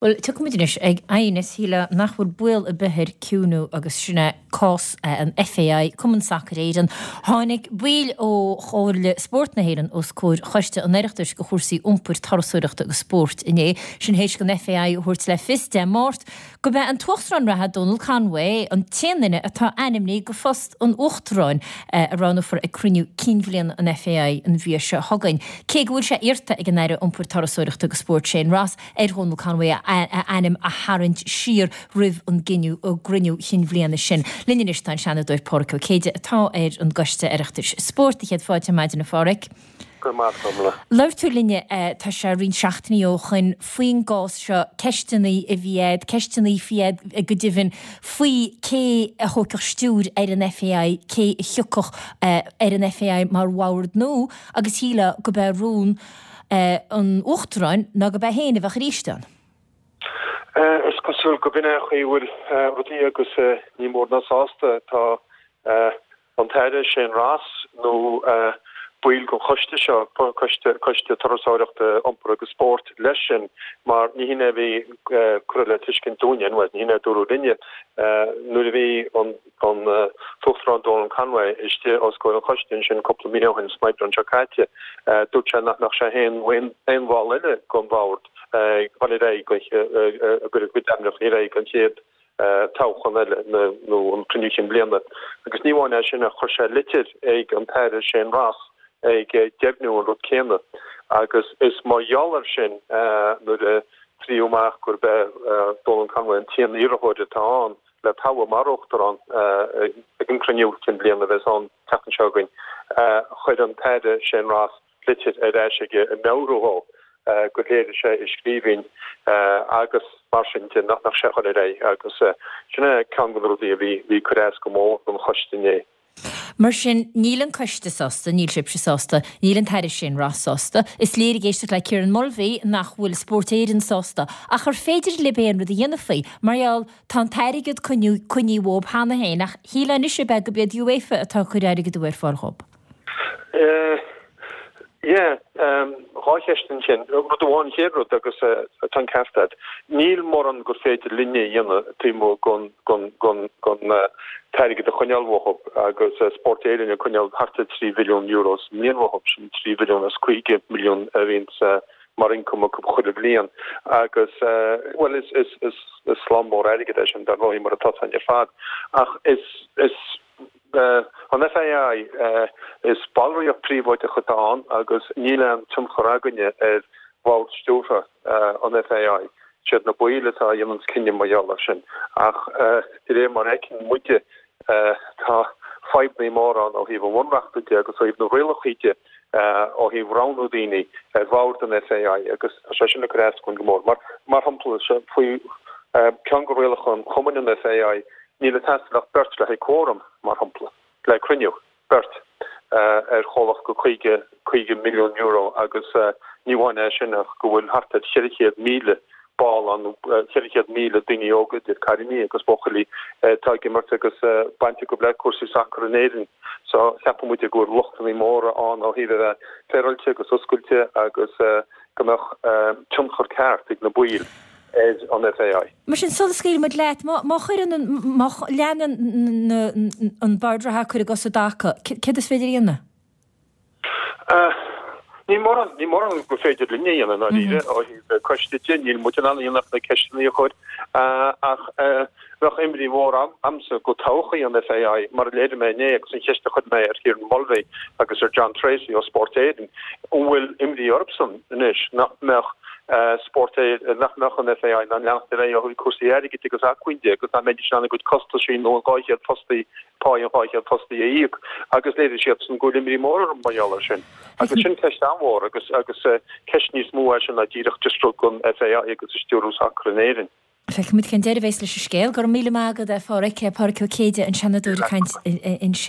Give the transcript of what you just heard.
Bhuel, tiocfaimid anois ag aighneas, shílfeá nach bhfuil baol ar bith air ciúnú agus sin é cás an FAI, Cumann Sacair Éireann. Tháinig baill ó Chomhairle Spóirt na hÉireann os comhair Choiste an Oireachtais do chúrsaí Iompair, Turasóireachta agus Spóirt inné, sin théis don FAI a thabhairt le fios Dé Máirt gurb é an tUachtarán reatha Donal Conway an t-aon duine atá ainmnithe do phost an Uachtaráin a roghnófar ag cruinniú cinn bhliana an FAI an mhí seo chugainn. Cé go bhfuil sé iarrta ag an Aire Iompair, Turasóireachta agus Spóirt Shane Ross ar Dhónal Conway a ainm a tharraingt siar roimh an gcruinniú chinn bhliana sin. Linn anois tá an Seanadóir Pádraig Ó Céide atá ar an gCoiste Oireachtais Spóirt. Céad fáilte ar maidin a Phádraig. Go raibh maith agat, a Ormhlaith. Labhair tú linne, tá sé roinnt seachtainí ó shoin, faoin gcás seo, ceisteanna a bhí a'd, ceisteanna faoi a'd go deimhin, faoi cé a thógfadh stiúir ar an FAI, cé a thiocfadh ar an FAI mar bhord nua agus shílfeá gurb é rún an Uachtaráin ná gurb é féin a bheadh arís ann. Is cosúil go b'in é an chaoi a bhfuil rudaí agus ní mór ná sásta atá an tAire Shane Ross nó baill den choiste seo, Coiste Coiste Turasóireachta, Iompair agus Spóirt, leis sin mar ní hin é a bhí curtha le tuiscint dúinne, bhuel, ní hin é a dúradh linne nuair a bhí an tUachtarán Donal Conway istigh os comhair an choiste ansin cúpla mí ó shin, san Aibreán seo caite. Dúirt sé nach mbeadh sé féin nó aon bhall eile den bhord ag dul ar aghaidh ag cur a gcuid ainmneacha ar aghaidh don chéad toghchán eile nó an cruinniú cinn bliana. Agus ní amháin é sin ach chuir sé litir ag an tAire Shane Ross ag deimhniú an rud céanna. Agus is mar gheall air sin nuair a fríodh amach gurb é Donal Conway an t-aon iarrthóir atá ann le toghadh mar Uachtarán ag an cruinniú cinn bliana a bheas ann an tseachtain seo chugainn, chuir an tAire Shane Ross litir ar ais aige ag meabhrú dhó gur léirigh sé i scríbhinn agus mar sin de nach mbeadh sé ag dul ar aghaidh agus sin é ceann de na rudaí a bhí ag cur as go mór don choiste inné. Mar sin, níl an coiste sásta, níl sibhse sásta, níl an tAire Shane Ross sásta. Is léir ag éisteacht le Kieran Mulvey nach bhfuil Spórt Éireann sásta. Ach ar féidir libh aon rud a dhéanamh faoi? Mar gheall, tá an t-airgead coinnithe uathu cheana féin ach shílfeá anois ab ea gurb iad UEFA atá ag cur airgead ar fáil dhóibh. Yeah, dhá cheist ansin. Rud amháin, an chéad rud, agus tá an ceart agat, níl mórán gur féidir linne a dhéanamh taobh amuigh den t-airgead a choinneáil uathu agus Spórt Éireann ag coinneáil thart ar €3 mhilliún sa mbliain uathu, sin 3 mhilliún is 50 milliún a bhíonns mar ioncam acu chuile bhliain agus, bhuel, is slám mór airgid é sin dar ndóigh mar atá a fhios againn ar fad ach is, is, An FAI, is ballraíocht príobháideach atá ann agus níl aon tionchar againne ar bhord stiúrtha an FAI. Siad na baill atá a dhéananns cinneadh mar gheall air sin. Ach de réir mar a fheiceann muide, tá fadhbanna móra ann ó thaobh an bhunreachta de agus ó thaobh na rialacha de ó thaobh roghnú daoine ar bhord an FAI agus tá sé sin ag cur as dúinn go mór. Mar shampla, faoi ceann de rialacha an chumainn an FAI, Níl ag teastáil ach beirt le haghaidh quorum, mar shampla, le cruinniú, beirt ar chomhlacht go €50, €50 milliún agus ní amháin é sin ach go bhfuil thart ar 400,000 ball ann, 400,000 daoine óga, idir cailíní agus buachaillí, atá ag imirt agus baint acu le cúrsaí sacair in Éirinn. So ceapann muide go bhfuil lochtanna móra ann ó thaobh a bheith féaráilte agus oscailte agus go mbeadh tionchar ceart ag na baill. ar an FAI. Mar sin, sula scaoilfidh muid leat, má chuireann an, má leanann an bord reatha ag cur a gcos i dtaca, céard is féidir a dhéanamh? Níl mórán, níl mórán gur féidir linne a dhéanamh, i ndáiríre, ó thaobh coiste de, níl muid in ann a dhéanamh ach na ceisteanna a chur, ach bheadh imní mhór a'msa go todhchaí an FAI, mar a léirigh mé inné agus an cheist a chuir mé ar Kieran Mulvey agus ar John Treacy ó Spórt Éireann, an bhfuil imní orthusan anois nach mbeadh Spórt Éireann, nach mbeadh an FAI in ann leanacht ar aghaidh ó thaobh cúrsaí airgid agus acmhainn de agus nach mbeidís in ann a gcuid costaisí nó an 200 fostaí, pá an 200 fostaí a íoc agus léirigh siadsan go bhfuil imní mór orthu mar gheall air sin. Agus sin ceist an-mhór agus agus ceist níos mó é sin ná díreach just rud don FAI agus a stiúradh sacar in Éirinn. Feicfimid cén deireadh a bheas leis an scéal. Go raibh míle maith agat, a Phádraic. Pádraic Ó Céide, an Seanadóir ag caint ansin.